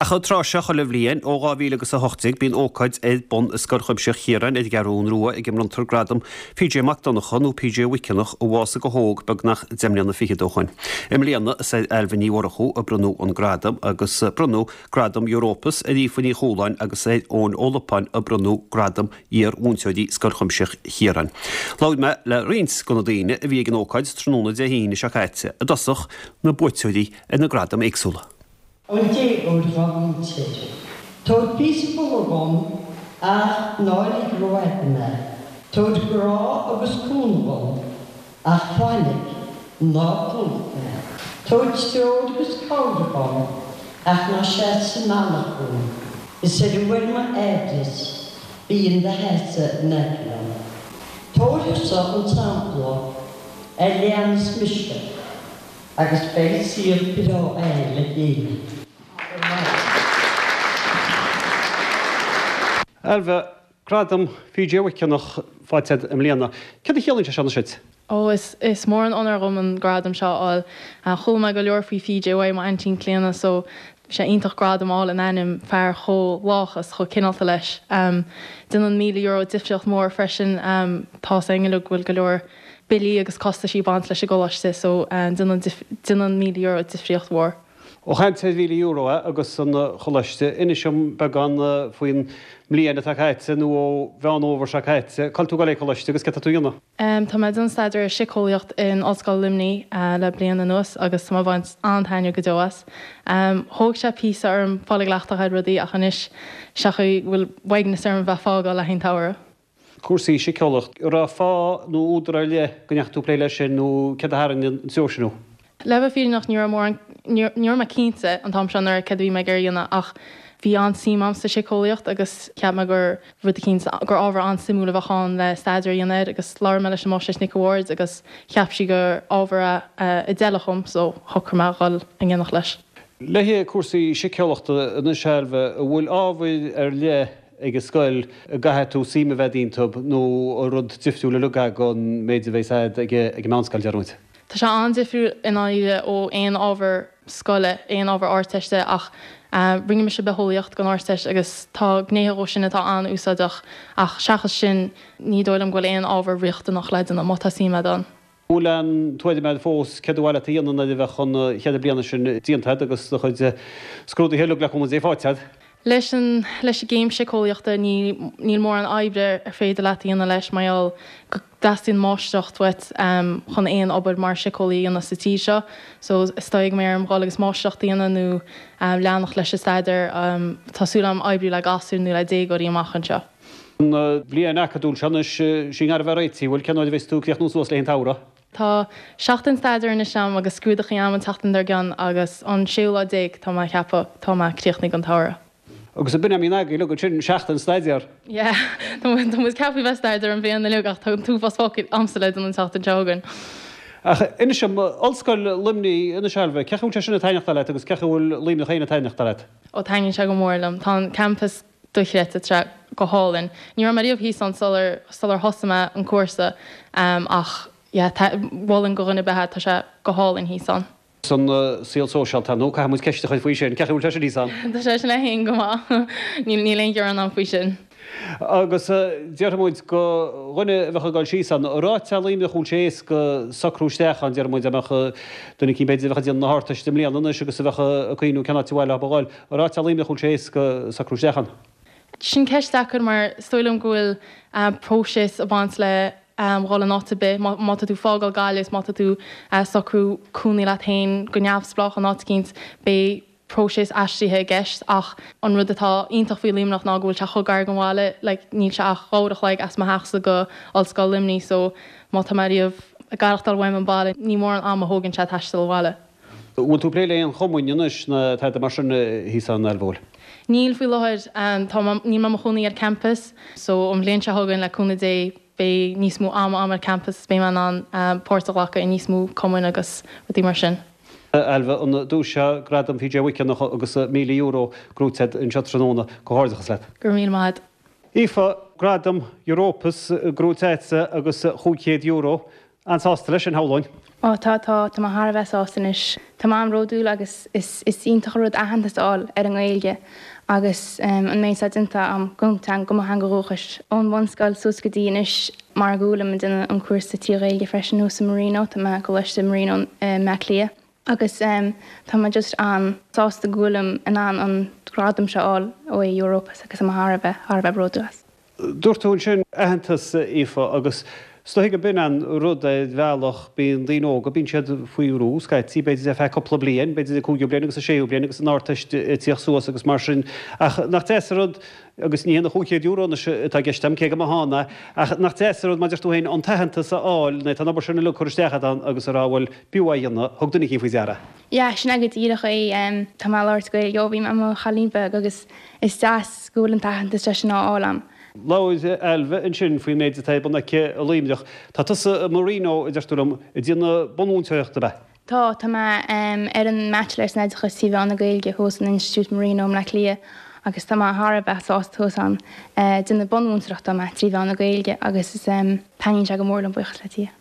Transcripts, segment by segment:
Ach an tráth seo chuile bhliain, ó 2000 agus 18, bíonn ócáid ar bun i Scoil Chuimsitheach Chiaráin ar an gCeathrún Rua ag a mbronntar Gradam PJ Mac Donncha nó PJ Mhiceanach a bhásaigh go hóg beagnach 10 mbliana fichead ó shoin. I mbliana is ar Ailbhe Ní Mhurchú a bronnadh an gradam agus bronnadh Gradam Europus ar Aoife Ní Chualáin agus ar Eoin Ó Lupáin a bronnadh Gradam Iar-mhúinteoirí Scoil Chuimsitheach Chiaráin. Labhair mé le roinnt de na daoine a bhí ag an ócáid tráthnóna Dé hAoine seo caite, i dtosach na buaiteoirí ar na gradaim éagsúla. An déagóir dhá mhúinteoir. Tabhair píosa fola dhom ach ná lig rófhada mé. Tabhair grá agus cúnamh dhom ach fainic, ná plúch mé. Tabhair treoir agus cabhair dhom ach ná seas sa mbealach dhom. Is ar uair m'aimhleas bí in do sheasamh in aice liom. Tabhair thusa an t-sampla a leanas mise. Agus beidh saol breá againn le chéile. Ailbhe, Gradam PJ Mhiceanach faighte agat i mbliana. Céard a chiallaíonn sé seo anois duit? Ó, is is mór an onóir dhom an gradam seo a fháil. Chuala mé go leor faoi PJ uaidh m'aintín Clíona so bhí sé iontach gradam a fháil in ainm fear chomh lách is chomh cineálta leis. Déanann €1,000 difríocht mhór freisin. Tá's againn uilig go bhfuil go leor billí agus costaisí ag baint leis an gcoláiste so déanann déanann €1,000 difríocht mhór. Ó chaint ar €1,000 agus an choláiste, inis dom beagán faoin mbliain atá caite nó ó Mheán Fhómhair seo caite, cá bhfuil tú ag dul ag coláiste agus céard tá tú a dhéanamh? Tá mé ag déanamh staidéar ar siceolaíocht in Ollscoil Luimnigh le bliain anuas agus tá mé ag baint an-taitneamh go deo as. Thóg sé píosa orm fáil i gcleachtadh ar rudaí ach anois sé an chaoi go bhfuil uaigneas orm a bheith ag fágáil le haghaidh an tsamhraidh. Cúrsaí siceolaíocht. An raibh fáth nó údar ar leith go ndeachaigh tú ag plé leis sin nó céard a tharraing an treo sin thú? Le bheith fírinneach ní raibh mórán, ní raibh mé cinnte an t-am seo anuraidh céard a bhí mé ag iarraidh a dhéanamh ach bhí an-suim a'm sa siceolaíocht agus cheap mé gur rud eicínt, gur ábhar an-suimiúil a bheadh ann le staidéar a dhéanamh air agus labhair mé leis an Máistreás Nic a' Bhaird agus cheap sí gur ábhar é a d'fheilfeadh dhom so shocraigh mé a dhul in éineacht leis. Le cúrsaí siceolaíochta anois Ailbhe, an bhfuil ábhair ar leith ag an scoil a gcaithfidh tú suim a bheith iontub nó an rud difriúil uilig é gon méid a bheas a'd ag an meánscoil, deir muid. Tá sé an-difriúil i ndáiríre ó aon ábhar scoile, aon ábhar Ardteiste ach rinne mise bitheolaíocht don Ardteist agus tá gnéithe dhó sin atá an-úsáideach ach seachas sin ní dóigh liom go bhfuil aon ábhar riachtanach le déanamh má tá suim a'd ann. Bhfuil aon tuairim a'd fós céard ba mhaith leat a dhéanamh nuair a bheadh an cheithre bliana sin déanta a'd agus do chuid scrúduithe uilig le cúnamh Dé faighte a'd? Leis an leis an gcéim siceolaíochta ní níl mórán oibre ar féidir leat a dhéanamh leis mar gheall go dteastaíonn máistreacht uait chun aon obair mar siceolaí a dhéanamh sa tír seo so is dóigh go mbeidh orm dhul agus máistreacht a dhéanamh nó leanacht leis an staidéar. Tá súil agam oibriú le gasúir nó le déagóirí amach anseo. An bhliain acadúil seo anois, sí i ngar a bheith réitithe, bhfuil, cén uair a bheas tú ag críochnú suas le haghaidh an tsamhraidh? Tá seachtain staidéir anois a'm agus scrúdachaí a'm an tseachtain dár gcionn agus an séú lá déag tá mé ag ceapadh, tá mé críochnaithe don tsamhradh. Agus ab in é a mbíonn agaibh uilig ansin, seachtain staidéir? Yeah, tá muid ceaptha bheith ag staidéar an bhliain uilig ach tá an t-uafás focal a'msa le déanamh an tseachtain seo chugainn. Ach inis dom, Ollscoil Luimnigh, anois Ailbhe, cén chaoi a bhfuil sé sin ag taitneachtáil leat agus cén chaoi a bhfuil Luimneach féin ag taitneachtáil leat? Ó taitníonn sé go mór liom. Tá an campas dochreidte, tá sé go hálainn. Ní raibh mé riamh thíos ann sular sular thosaigh mé an cúrsa ach yeah mholfainn do dhuine ar bith é, tá sé go hálainn thíos ann. San saol sóisialta, nó caithfidh muid ceist a chur faoi sin, cén chaoi a bhfuil sé sin thíos ann? Tá sé sin le haon go maith, níl níl aon ghearán ann faoi sin. Agus déarfaidh muid do dhuine a bheadh ag dul síos ann, an raibh áit Luimneach an bhfuil sé éasca socrú isteach ann, déarfaidh muid, dá mbeadh duine eicínt b'fhéidir a bheadh ag déanamh na hArdteiste i mbliana anois agus a bheadh ag cuimhniú cén áit ar mhaith leo a dhul, An raibh áit Luimneach an bhfuil sé éasca socrú isteach ann. Sin ceist deacair mar is dóigh liom go bhfuil próiseas ag baint le dhul in áit ar bith. Má tá tú ag fágáil Gaillimh is má tá tú ag socrú cónaí leat féin go neamhspleách in áit eicínt, beidh próiseas aistrithe i gceist ach an rud atá iontach faoi Luimneach ná go bhfuil sé chomh gar don bhaile, like níl sé ach uair a chloig as mo theachsa go Ollscoil Luimnigh so má tá mé riamh ag aireachtáil uaim an baile ní mórán ama a thógann sé taisteal abhaile. Bhfuil tú ag plé le aon chumainn anois ná tada mar sin thíos ann, Ailbhe, bhfuil? Níl faoi láthair. Tá mé, níl mé i mo chónaí ar campus so an bhliain seo chugainn le cúnamh Dé beidh níos mó ama a'm ar campus is beidh mé in ann páirt a ghlacadh i níos mó cumainn agus rudaí mar sin. Ailbhe, an duais seo, Gradam PJ Mhic Eanach agus €1,000 gnóite agat anseo tráthnóna. Comhghairdeachas leat. Go raibh míle maith agat. Aoife, Gradam Europus gnóite agatsa agus €500. An-sásta leis sin, shamhlóinn. Ó tá, tá, tá mé thar a bheith sásta anois. Tá mé an-bhródúil agus is is iontach an rud aitheantas a fháil ar an nGaeilge agus an méid atá déanta agam don teanga, do mo theanga dhúchais. Ón bhunscoil suas go dtí anois mar go bhfuilim ag déanamh an cúrsa trí Ghaeilge freisin thuas i Marino, tá mé i gColáiste Marino i mBleá Cliath agus tá mé just an-sásta go bhfuilim in ann an gradam seo a fháil ó Europus agus tá mé thar a bheith, thar a bheith bródúil as. Dúirt tú ansin aitheantas, Aoife, agus is dóigh go b'in an rud ar bhealach, bíonn daoine óga, bíonn siad faoi bhrú scaití, b'fhéidir ar feadh cúpla bliain, b'fhéidir an cúigiú bliain agus an séú bliain agus an Ardteist ag tíocht suas agus mar sin, ach nach deas an rud, agus ní hé an €500 anois atá i gceist agam, cé go mba ann é, ach nach deas an rud, mar a deir tú féin, an t-aitheantas a fháil, nuair atá an obair sin uilig curtha isteach agat ann agus a rá, bhuel, b'fhiú é a dhéanamh, thug duine eicínt faoi deara. Yeah, sin é go díreach é. Tá mé ag labhairt Gaeilge ó bhí mé i mo chailín beag agus is deas go bhfuil an t-aitheantas sin á fháil a'm. Labhair Ailbhe ansin faoin méid atá ar bun aici i Luimneach. Tá tusa i Marino, a deir tú liom, ag déanamh bunmhúinteoireachta, ab ea? Tá, tá mé ar an mBaitsiléir san Oideachas trí mheán na Gaeilge thuas in Institiúid Marino i mBleá Cliath agus tá mé thar a bheith sásta thuas ann. Ag déanamh bunmhúinteoireachta atá mé trí mheán na Gaeilge agus is taitníonn sé go mór liom, buíochas le Dia.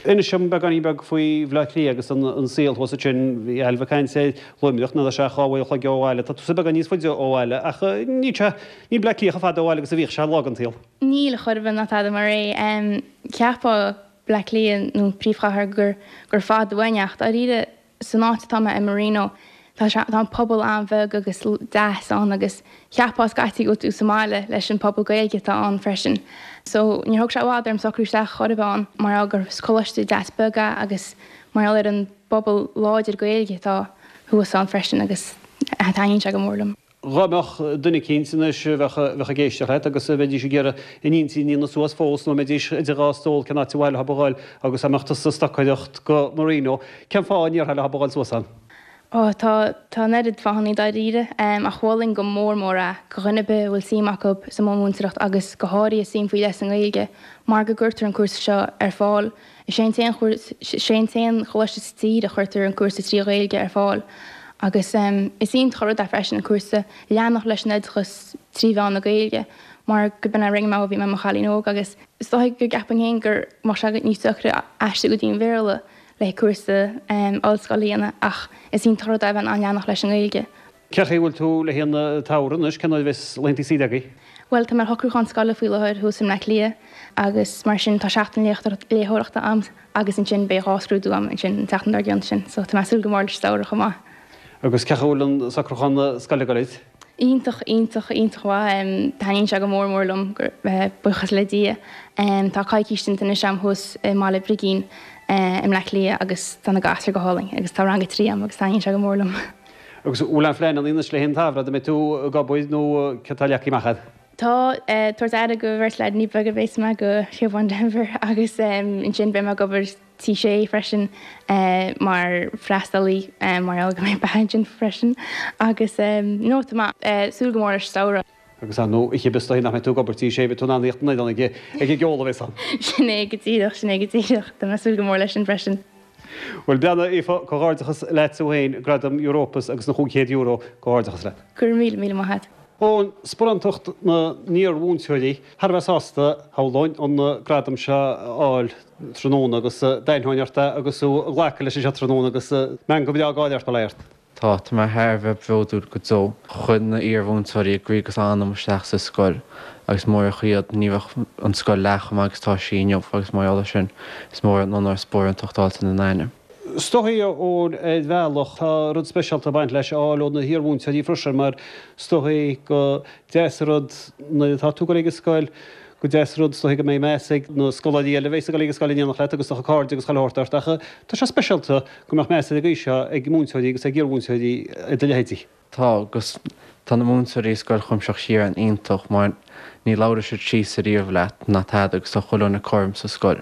Inis dom beagáinín beag faoi Bhleá Cliath agus an saol thuas ansin. Bhí Ailbhe ag caint ar Luimneach, níl sé ach dhá uair an chloig ó bhaile. Tá tusa beagán níos faide ó bhaile ach níl sé, níl Bleá Cliath chomh fada ó bhaile agus a bhíodh sé lá den tsaol. Níl, chor ar bith ná tada mar é. Cheapfá Bleá Cliath nó príomhchathair gur gur fada uainn ach dáiríre San áit atá mé i Marino, tá sé, tá an pobal an-bheag agus deas ann agus cheapfá scaití go bhfuil tú sa mbaile leis an pobal Gaeilge atá ann freisin. So níor thóg sé i bhfad orm socrú isteach chor ar bith ann mar gheall gur coláiste deas beag é agus mar gheall ar an bpobal láidir Gaeilge atá thuas ann freisin agus taitníonn sé go mór liom. Dhá mbeadh duine eicínt anois a bheadh ag éisteacht leat agus a bheidís ag iarraidh a n-intinn a dhéanamh suas fós nó a mbeidís idir dhá stól cén áit ar mhaith leo a ghoil agus dá mbeadh tusa ag stocaireacht go Marino, cén fáth a ndéarfá leo a ghoil suas ann? Ó, tá, tá an oiread fáthannaí dáiríre, ach mholfainn go mór mór é go dhuine ar bith a bhfuil suim acu sa mbunmhúinteoireacht agus go háirithe suim faoi leith sa nGaeilge mar go gcuirtear an cúrsa seo ar fáil Is é an t-aon is é an t-aon choláiste sa tír a chuirtear an cúrsa trí Ghaeilge ar fáil agus is iontach an rud é freisin an cúrsa leanacht leis an oideachas trí mheán na Gaeilge mar go b'in a rinne mé ó bhí mé i mo chailín óg agus is dóigh go gceapainn féin go mbeadh sé níos deacra aistriú go dtí an Bhéarla le cúrsa ollscoile a dhéanamh ach is iontach an rud é a bheith in ann leanacht leis an nGaeilge. Cén chaoi a bhfuil tú le haghaidh an tsamhraidh anois? Cén uair a bheas laethanta saoire agaibh? Bhuel, tá mé ar shocrúchán scoile faoi láthair thuas i mBleá Cliath agus mar sin tá seachtain léitheoireachta a'm agus ansin beidh dhá scrúdú a'm ansin an tseachtain dár gcionn sin so tá mé ag súil go mór leis an samhradh chomh maith. Agus cén chaoi a bhfuil an socrúchán scoile ag dul duit? Iontach, iontach, iontach mhaith. Taitníonn sé go mór mór liom, buíochas le Dia. Tá coicís déanta anois a'm thuas i mBaile Brigín i mBleá Cliath agus tá na gasúir go hálainn agus tá rang a trí a'm agus taitníonn sé go mór liom. Agus an bhfuil aon phlean anois le haghaidh an tsamhraidh, an mbeidh tú ag obair nó céard atá leagtha amach agat? Tá, ag tabhairt aire go bheirt leaideanna beaga a bheas mé go Siobhán Denvir agus ansin beidh mé ag obair Tí Sé freisin mar freastalaí mar gheall go mbeidh beatha ansin freisin agus no tá mé ag súil go mór leis an samhradh. Agus ar ndóigh oíche is dóigh nach mbeidh tú ag obair Tí Sé, beidh tú in ann a thíocht an oileán ag an gceol a bheas ann. Sin é go díreach, sin é go díreach. Tá mé ag súil go mór leis sin freisin. Bhuel, breathnaigh, Aoife, comhghairdeachas leat tú féin, Gradam Europus agus na €500, comhghairdeachas leat. Go raibh míle, míle maith agat. Eoin, Sparántacht na n-iar-mhúinteoirí, thar a bheith sásta, shamhlóinn, an gradam seo a fháil tráthnóna agus d'aithneoinn ort é agus tú ag glacadh leis anseo tráthnóna agus meangadh breá gáire ort, bail ó Dhia ort. Tá, tá mé thar a bheith bródúil go deo. Chuir na iar-mhúinteoirí a gcroí agus anam isteach sa scoil agus murach iad ní bheadh an scoil leath chomh maith agus atá sí inniu agus mar gheall air sin is mór an onóir spárántacht a fháilt ina n-ainm. Is dóigh Eoin ar bhealach tá rud speisialta ag baint leis a fháil ó na hiar-mhúinteoirí freisin mar is dóigh gur deas an rud nuair atá tú ag dul ag an scoil gur deas an rud is dóigh go mbeidh meas ag na scoláirí eile a bheas ag dul ag an scoil in éineacht leat agus do chuid cairde agus chuile shórt ort ach tá sé speisialta go mbeadh meas ar an gcaoi seo ag múinteoirí agus ag iarmhúinteoirí ar do leithéidí. Tá, agus tá na múinteoirí i Scoil Chuimsitheach Chiaráin iontach mar ní labhróidh siad síos ariamh leat ná tada agus tá chuile dhuine cothrom sa scoil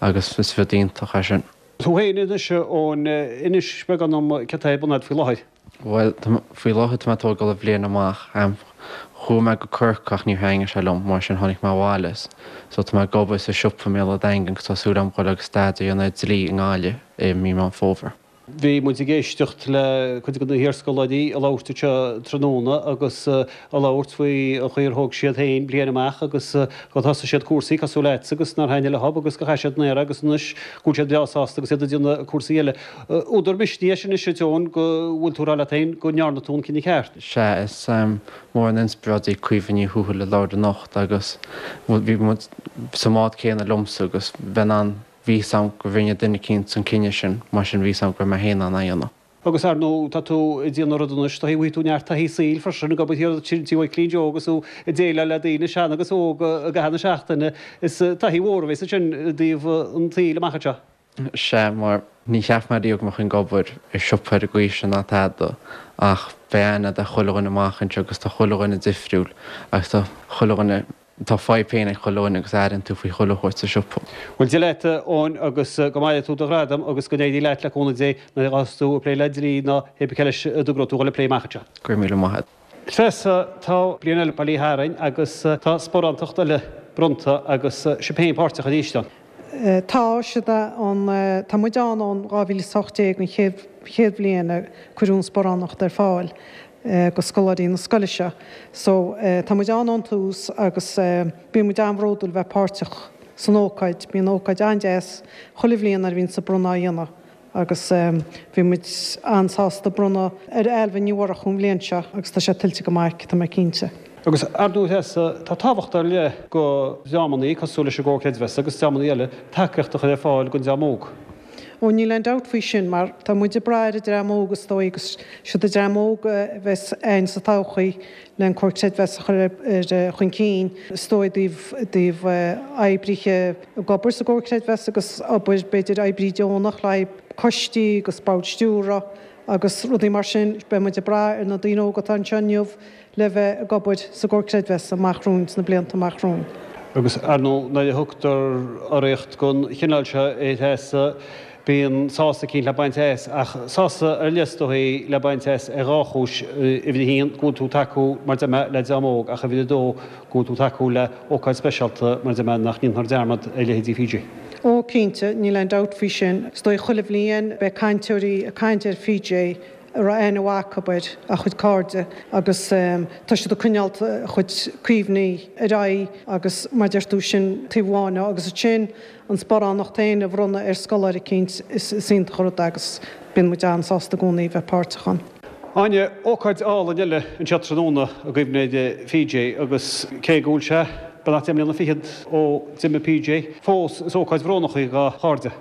agus is rud iontach é sin. Tú féin anois, Eoin, inis beagán dom céard atá ar bun agat faoi láthair. Bhuel, faoi láthair tá mé ag tógáil an bhliain amach. Chuaigh mé go Corcaigh ach níor thaitnigh sé liom, mar sin tháinig mé abhaile. So tá mé ag obair sa siopa i mBéal an Daingin agus tá súil agam dhul agus staidéar a dhéanamh ar dlí i nGaillimh i mí Meán Fómhair. Bhí muid ag éisteacht le cuid de na hiarscoláirí ag labhairt anseo tráthnóna agus ag labhairt faoi an chaoi ar thóg siad féin bliain amach agus gur thosaigh siad cúrsaí cosúil leatsa agus nár thaitnigh leob agus gur chaith siad an aer agus anois go bhfuil siad breá sásta agus iad ag déanamh cúrsaí eile. Údar misnigh é sin anois a Eoin go bhfuil tú ag rá leat féin go ndearna tú an cinneadh ceart. Sea, is mór an inspioráid í Caoimhe Ní Thuathail a labhair anocht agus bhí muid sa mbád céanna liomsa agus bheith in ann Bhí fhios a'm go rinne duine eicínt an cinneadh sin, mar sin bhí fhios a'm go raibh mé féin in ann é a dhéanamh. Agus ar ndóigh tá tú ag déanamh rud anois, tá bhfaighidh tú neart taithí saoil freisin ag obair thiar i dTigh Mhaidhcilín Joe agus tú ag déileáil le daoine, sean agus óg, i gcaitheamh na seachtaine. Is taithí mhór a bheas ansin i dtaobh an tsaoil amach anseo. Sea, mar ní cheap mé riamh go mbeadh ag obair i siopa ar an gcaoi sin ná tada, ach beidh aithne a'd ar chuile dhuine amach anseo agus tá chuile dhuine difriúil agus tá chuile dhuine Tá fadhb féin ag chuile dhuine agus airíonn tú faoi chuile shórt sa siopa. Bhuel, Dia leat, a Eoin, agus go mbaine tú do ghradam agus go n-éirí leat le cúnamh Dé nuair a ghabhfas tú ag plé le dlí nó pé bith cé leis a dtogróidh tú dhul ag plé amach anseo. Go raibh míle maith agat. Treasa, tá bliain eile bailithe tharainn agus tá sparántacht eile bronnta agus sibh féin páirteach arís ann. Tá siad ann, tá muid ann ón 2018, an chéad chéad bhliain a cuireadh an sparánacht ar fáil do scoláirí na scoile seo. So, tá muid ann ón tús agus bíonn muid an-bhródúil bheith páirteach san ócáid. Bíonn ócáid an-deas chuile bhliain nuair a bhíonns an bronnadh á dhéanamh agus bhí muid an-sásta bronnadh ar Ailbhe Ní Mhurchú an bhliain seo agus tá sé tuillte go maith aici, tá mé cinnte. Agus ar ndóigh Treasa, tá tábhacht ar leith go dreamannaí cosúil leis an gComhar Creidmheasa agus dreamannaí eile tacaíocht a chur ar fáil don dream óg. Ó, níl aon dabht faoi sin, mar tá muid ag brath ar an dream óg is dóigh agus siad an dream óg a bheas a'ainn sa todhchaí le an Comhar Creidmheasa a chur ar chun cinn, is dóigh, i dtaobh, i dtaobh oibrithe ag obair sa gComhar Creidmheasa agus obair, b'fhéidir, oibrí deonach le haghaidh coistí agus bord stiúrtha agus rudaí mar sin. Beidh muid ag brath ar na daoine óga atá anseo inniu le bheith ag obair sa gComhar Creidmheasa amach romhainn, sna blianta amach romhainn. Agus, ar ndóigh, nuair a thugtar urraíocht den chineál seo a Threasa, bíonn sásamh eicínt le baint as, ach sásamh ar leith is dóichí le baint as ar dhá chúis, uimhir a haon, go bhfuil tú ag tacú, mar deir mé, le dream óg, ach uimhir a dó, go bhfuil tú ag tacú le ócáid speisialta, mar deir mé, nach ndéanfar dearmad ar leithéidí PJ. Ó, cinnte, níl aon dabht faoi sin. Is dóigh chuile bhliain beidh cainteoirí ag caint ar PJ a raibh aithne mhaith acu air, a chuid cairde, agus tá siad ag coinneáil a chuid cuimhní ar aghaidh agus mar deir tú, sin taobh amháin de agus ansin an sparánacht féin a bhronnadh ar scoláire eicínt, is iontach an rud é agus bíonn muid an-sásta i gcónaí bheith páirteach ann. Áine, ócáid álainn eile anseo tráthnóna i gcuimhne ar PJ agus cé go bhfuil sé beagnach 10 mbliana fichead ó d'imigh PJ, fós is ócáid bhrónach í dá chairde.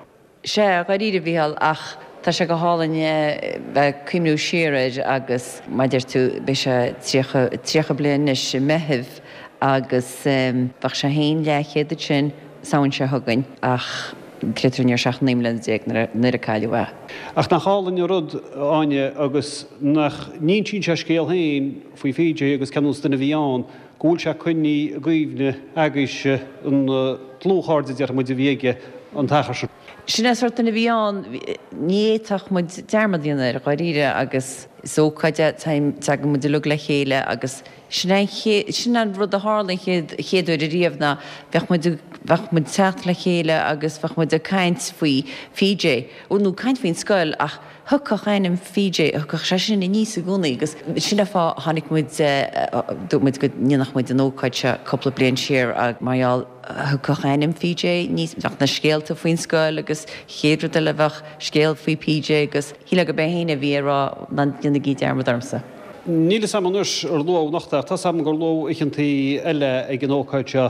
Sea, dháiríre, a Mhícheáil, ach tá sé go hálainn bheith ag cuimhniú siar air agus mar a deir tú, beidh sé 30, 30 bliain anois i Meitheamh agus bheadh sé féin leathchéad ansin Samhain seo chugainn ach creid é nó ní raibh sé ach 19 mbliana nuair a cailleadh é. Ach nach álainn an rud, a Áine, agus nach n-insíonn sé a scéal féin faoi PJ agus cén nós duine a bhí ann, go bhfuil sé coinnithe i gcuimhne agaibhse, an dlúthchairde, déarfaidh muid, a bhí aige an t-achar sin. Sin é an sórt duine a bhí ann. Ní fhéadfadh muid dearmad a dhéanamh air, dháiríre, agus is ócáid é, tagann muid uilig le chéile agus sin é an chéad, sin an rud a tharla an chéad, chéad uair ariamh ná bheadh muid, bheadh muid teacht le chéile agus bheadh muid ag caint faoi PJ, nó caint faoin scoil ach, Thiocfadh ainm PJ, thiocfadh sé sin aníos i gcónaí agus sin an fáth a tháinig muid, dúirt muid go ndéanfadh muid an ócáid seo cúpla bliain siar mar gheall, thiocfadh ainm PJ aníos, bheadh na scéalta faoin scoil agus chéad rud eile bheadh scéal faoi PJ agus shílfeá gurb é féin a bhí ag rá ná déanaigí dearmad ormsa. Níl fhios a'm anois ar luadh anocht ach tá's a'm gur luadh oícheantaí eile ag an ócáid seo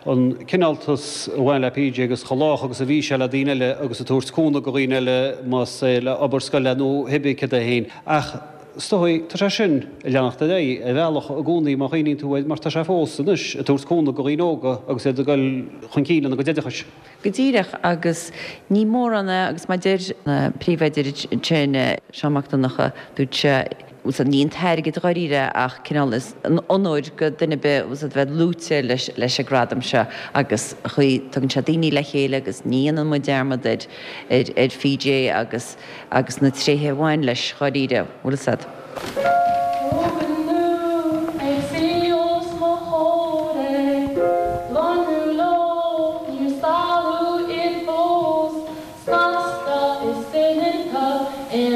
an cineáltas a bhain le PJ agus chomh lách agus a bhí sé le daoine eile agus ag tabhairt cúnamh do dhaoine eile más é le obair scoile nó cibé céard é féin. Ach is dóigh tá sé sin ag leanacht ar aghaidh ar bhealach i gcónaí má chuimhníonn tú air mar tá sé fós anois ag tabhairt cúnamh do dhaoine óga agus iad ag dul chun cinn lena gcuid oideachais. Go díreach, agus ní mórán é agus mar deir an príomhoide ansin, Seán Mac Donncha, dúirt sé, bhfuil 's a'd, ní an t-airgead dháiríre ach cineál is an onóir go duine ar bith bhfuil 's a'd bheith luaite leis leis an gradam seo agus chaoi tugann sé daoine le chéile agus ní dhéanann muid dearmad ar ar ar PJ agus agus na tréithe a bhain leis dháiríre, bhfuil 's a'd. Tógann tú ag suí os mo chomhair ag lonrú leo, níor stealladh iad fós, snasta is soineanta in.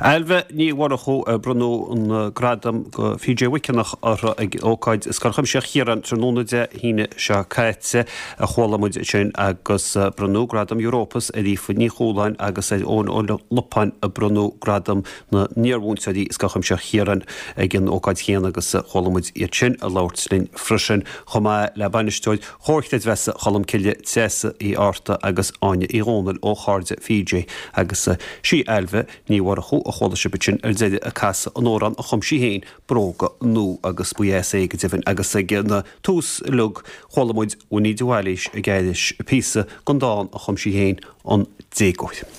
Ailbhe Ní Mhurchú, bronnadh an gradam do PJ Mhuiceanach uirthi ag ócáid i Scoil Chuimsitheach Chiaráin tráthnóna Dé hAoine seo caite a chuala muid ansin agus bronnadh gradam Europus ar Aoife Ní Chualáin agus ar Eoin Ó Lupáin a bronnadh gradam na n-iarmhúinteoirí i Scoil Chuimsitheach Chiaráin ag an ócáid chéanna agus chuala muid iad sin ag labhairt linn freisin chomh maith le bainisteoir Chomhar Creidmheasa Cholmcille, Treasa Uí Fhátharta agus Áine Uí Dhónaill ó Chairde PJ agus sí Ailbhe Ní Mhurchú a chuala sibh ansin ar deireadh ag casadh an amhrán a chum sí féin, Bróga Nua agus ba dheas é go deimhin agus ag an tús uilig chuala muid Winnie de Bhailís ag aithris píosa den dán a chum sí féin, An Déagóir.